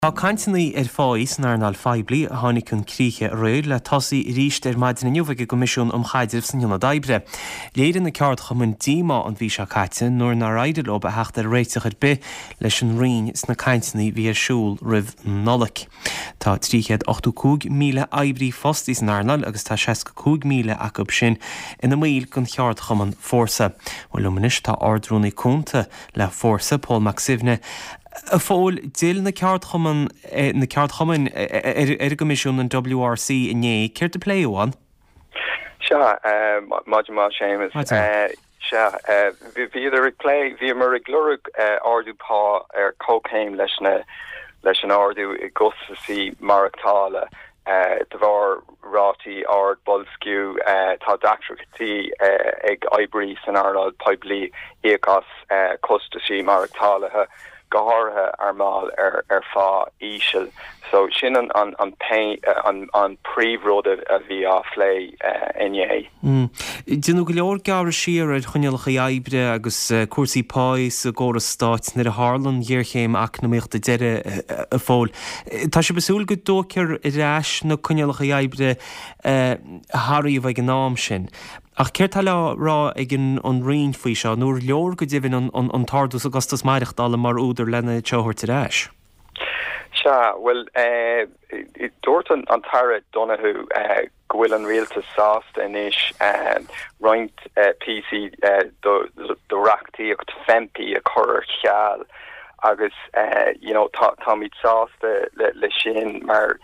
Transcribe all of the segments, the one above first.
Tá cainteanna ar pháí san earnáil phoiblí a tháinig chun críche aréir le tosaí arís ar maidin inniu ag an gCoimisiún um Chaidreamh san Ionad Oibre. Léirigh na ceardchumainn díomá an mhí seo caite nuair nár éirigh leo a theacht ar réiteach ar bith leis an Roinn sna cainteanna a bhí ar siúl roimh an Nollaig. Tá 385,000 oibrí fostaithe san earnáil agus tá 65,000 acu sin ina mbaill den cheardchumann Fórsa. Bhuel liom anois tá Ard-Rúnaí Cúnta le Fórsa, Pól Mac Suibhne. A Phóil, d'fhill na ceardchumann, na ceardchumainn ar an gCoimisiún, an WRC, inné. Céard a pléadh ann? Sea, maidin mhaith Séamus. Maidin. Sea, bhíodar ag plé, bhíomar ag lorg ardú pá ar comhchéim leis na, leis an ardú i gcostasaí maireachtála. De bharr rátaí ard boilsciú, tá deacrachtaí ag oibrí san earnáil poiblí íoc as costaisí maireachtála, go háirithe ár mbaill ar phá íseal. So sin an an príomhrud a bhí á phlé inné. Déanadh go leor gearradh siar ar choinníollacha oibre agus cúrsaí páí sa gcóras stáit nuair a tharla an ghéarchéim eacnamaíochta deiridh, a Phóil. Tá sibh ag súil go dtógfar ar ais na coinníollacha oibre a sáraíodh ag an am sin. Ach céard tá le rá ag an Roinn faoi seo, nó ar leor go deimhin an t-ardú sa gcostas maireachtála mar údar lena seo a thabhairt ar ais? Sea, bhuel, dúirt an tAire Donohoe go bhfuil an rialtas sásta anois roinnt píosaí de reachtaíocht FEMPI a chur ar ceal agus you know táimid sásta le sin mar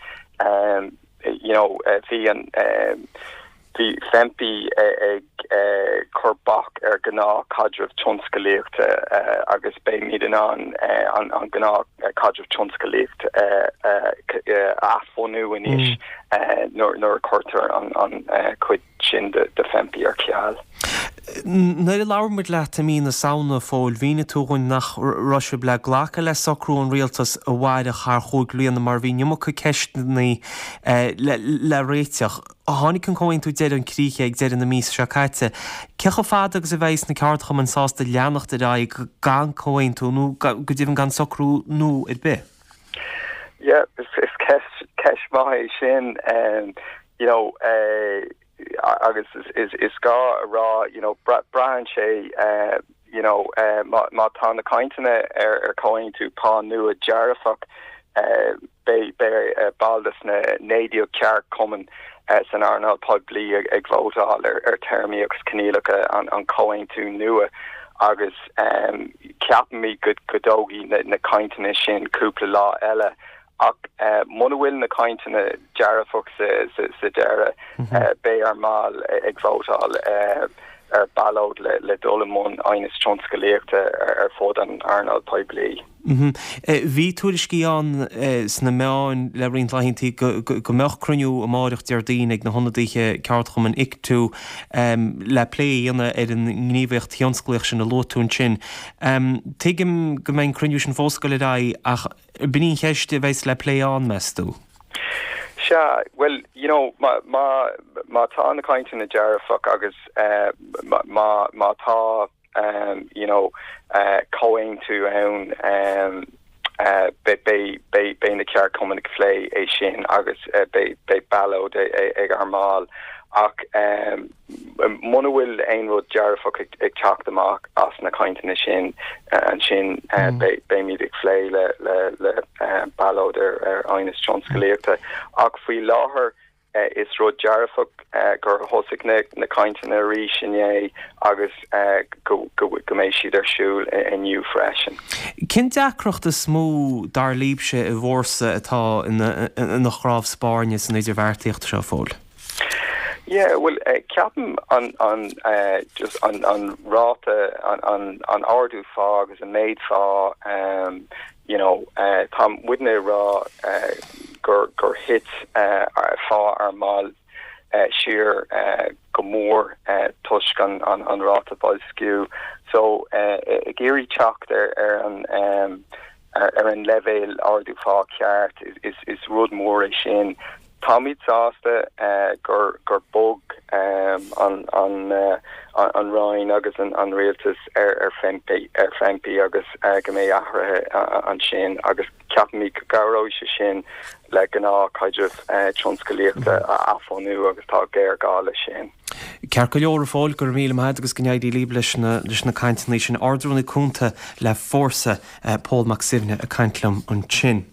you know bhí an Bhí FEMPI ag cur bac ar ghnáthchaidreamh tionscalaíochta agus beimid in ann an gnáthchaidreamh tionscalaíochta a athbhunú anois nuair a chuirtear an chuid sin de FEMPI ar ceal. Nuair a labhair muid leat i mí na Samhna, a Phóil, mhínigh tú dhúinn nach raibh sibh le glacadh le socrú an rialtais a mhairfeadh thar chúig bliana mar bhí an iomarca ceisteanna le réiteach. Tháinig an comhaontú deiridh chun críche ag deireadh na míosa seo caite. Cé chomh fada agus a bheidhs na ceardchumainn sásta leanacht ar aghaidh gan comhaontú nó go deimhin gan socrú nua ar bith? Yeah, is ceist ceist mhaith é sin. You know, agus is gá a rá, you know, braitheann sé you know, má tá na cainteanna ar chomhaontú pá nua dearfach, beidh baill de na 19 ceardchumann san earnáil poiblí ag vótáil ar théarmaí agus coinníollacha an chomhaontú nua agus ceapaimid go dtógfaidh na cainteanna sin cúpla lá eile. Ach muna bhfuil na cainteanna dearfach sa deireadh, beidh ár mbaill ag vótáil ar ballóid le dul i mbun aighneas tionscalaíochta ar fud an earnáil poiblí. Bhí tuairiscí ann sna meáin le roinnt laethanta go mbeadh cruinniú amáireach Déardaoin ag na hionadaithe ceardchumainn ICTU le plé a dhéanamh ar an ngníomhaíocht thionsclaíoch sin a luaigh tú ansin. Tuigim go mbeidh an cruinniú sin fós ag dul ar aghaidh ach b'in í an cheist a bheas le plé ann, meas tú? Sea, bhuel, you know, má, má, má tá na cainteanna dearfach agus má, má tá, you know, comhaontú ann, beidh, beidh, beidh, beidh na ceardchumainn ag plé é sin agus beidh, beidh ballóid ag ár mbaill. Ach muna bhfuil aon rud dearfach ag teacht amach as na cainteanna sin, ansin beimid ag plé le ballóid ar aighneas tionscalaíochta. Ach faoi láthair is rud dearfach gur thosaigh na cainteanna arís inné agus go mbeidh siad ar siúl inniu freisin. Cén deacracht is mó, dar libhse, i bhFórsa atá ina chnámh spairne san idirbheartaíocht seo, a Phóil? Yeah, bhuel, ceapaim an, an, just an, an ráta, an, an, an ardú phá agus an méid phá, you know, tá muidne ag rá gur, gur thit phá ár mball siar go mór toisc an, an, an ráta boilsciú. So, ag iarraidh teacht ar, ar an, ar an leibhéal ardú phá ceart, is, is rud mór é sin. Táimid sásta gur gur bhog an an Roinn agus an Rialtas ar FEMPI ar FEMPI agus go mbeidh athruithe ansin agus ceapaimid go gcabhróidh sé sin le gnáthchaidreamh tionsclaíochta a athbhunú agus tá géarghá leis sin. Ceart go leor, a Phóil, go raibh míle maith agat agus go n-éirí libh leis na leis na cainteanna sin. Ard-Rúnaí Cúnta le Fórsa, Pól Mac Suibhne ag caint liom ansin.